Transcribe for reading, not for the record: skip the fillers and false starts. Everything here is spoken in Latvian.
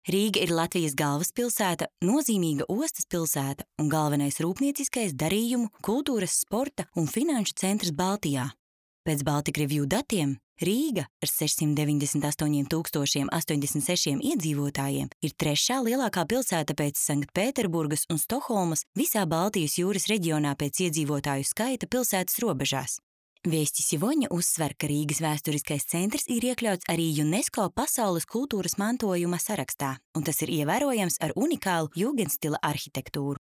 Rīga ir Latvijas galvaspilsēta, nozīmīga ostas pilsēta un galvenais rūpnieciskais, darījumu, kultūras, sporta un finanšu centrs Baltijā. Pēc Baltic Review datiem Rīga ar 698,086 iedzīvotājiem ir trešā lielākā pilsēta pēc Sanktpēterburgas un Stokholmas visā Baltijas jūras reģionā pēc iedzīvotāju skaita pilsētas robežās. Viesti Sivoņa uzsver, ka Rīgas vēsturiskais centrs ir iekļauts arī UNESCO pasaules kultūras mantojuma sarakstā, un tas ir ievērojams ar unikālu jūgenstila arhitektūru.